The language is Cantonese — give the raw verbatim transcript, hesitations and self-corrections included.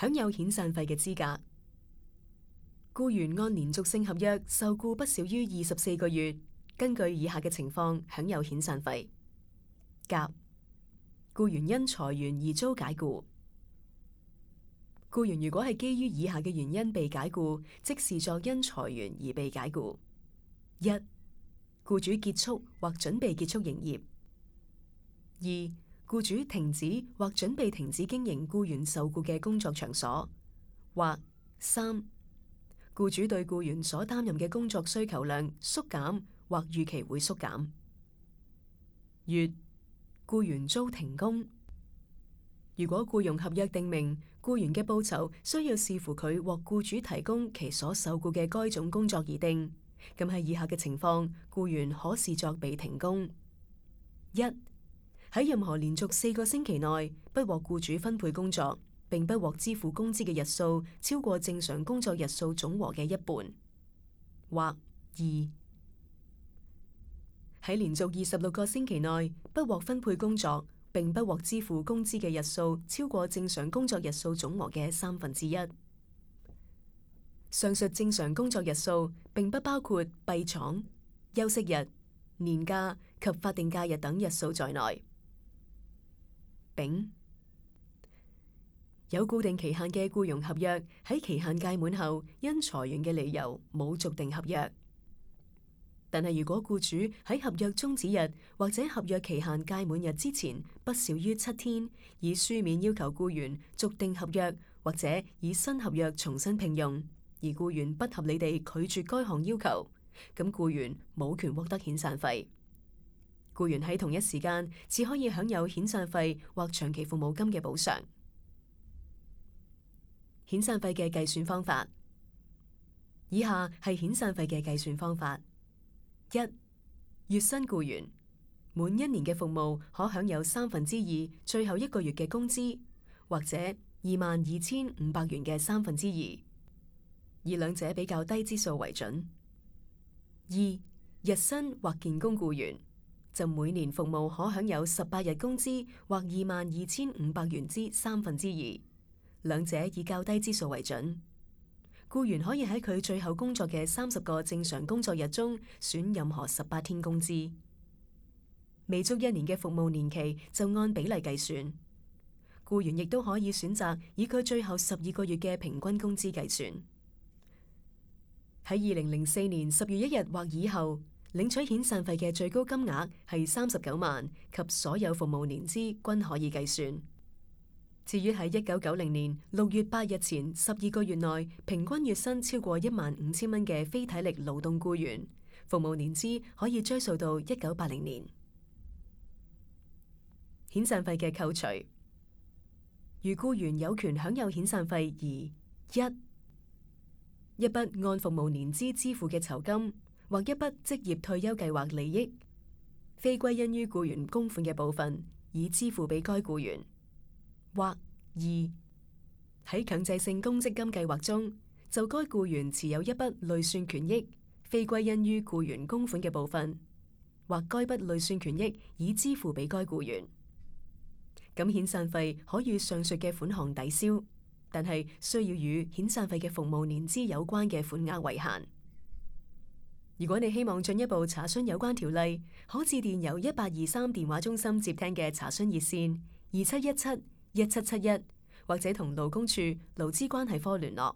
享有遣散費嘅資格。僱員按連續性合約受僱不少於二十四個月，根據以下嘅情況享有遣散費：甲、僱員因裁員而遭解僱。僱員如果係基於以下嘅原因被解僱，即視作因裁員而被解僱：一、僱主結束或準備結束營業；二、僱主停止或準備停止經營僱員受僱嘅工作場所；或三、僱主對僱員所擔任嘅工作需求量縮減或預期會縮減；乙、僱員遭停工。如果僱傭合約訂明僱員嘅報酬需要視乎佢獲僱主提供其所受僱嘅該種工作而定，咁喺以下嘅情況，僱員可視作被停工：一、喺任何連續四個星期內不獲僱主分配工作，並不獲支付工資嘅日數超過正常工作日數總和嘅一半；或二、喺連續二十六個星期內不獲分配工作，並不獲支付工資嘅日數超過正常工作日數總和嘅三分之一。上述正常工作日數並不包括閉廠、休息日、年假及法定假日等日數在內。丙、有固定期限嘅僱傭合約喺期限屆滿後，因裁員嘅理由冇續訂合約。但係如果僱主喺合約終止日或者合約期限屆滿日之前不少於七天，以書面要求僱員續訂合約或者以新合約重新聘用，而僱員不合理地拒絕該項要求，咁僱員冇權獲得遣散費。僱員喺同一時間只可以享有遣散費或長期服務金嘅補償。遣散費嘅計算方法，以下係遣散費嘅計算方法：一、月薪僱員滿一年嘅服務可享有三分之二最後一個月嘅工資，或者二萬二千五百元嘅三分之二，以兩者比較低之數為準。二、日薪或建工僱員就每年服務可享有十八日工資，或二萬二千五百元之三分之二，兩者以較低之數為準。僱員可以喺佢最後工作嘅三十個正常工作日中選任何十八天工資。未足一年嘅服務年期就按比例計算。僱員亦都可以選擇以佢最後十二個月嘅平均工資計算。喺二零零四年十月一日或以後領取遣散費嘅最高金額係三十九萬，及所有服務年資均可以計算。至於喺一九九零年六月八日前十二個月內平均月薪超過一萬五千蚊嘅非體力勞動僱員，服務年資可以追溯到一九八零年。遣散費嘅扣除，如僱員有權享有遣散費而一、一筆按服務年資支付嘅酬金，或一筆職業退休計劃利益，非歸因於僱員供款嘅部分，以支付俾該僱員；或二、喺強制性公積金計劃中，就該僱員持有一筆累算權益，非歸因於僱員供款嘅部分，或該筆累算權益已支付俾該僱員。咁遣散費可與上述嘅款項抵消，但係需要與遣散費嘅服務年資有關嘅款額為限。如果你希望進一步查詢有關條例，可致電由一八二三電話中心接聽嘅查詢熱線二七一七一七七一，或者同勞工處勞資關係科聯絡。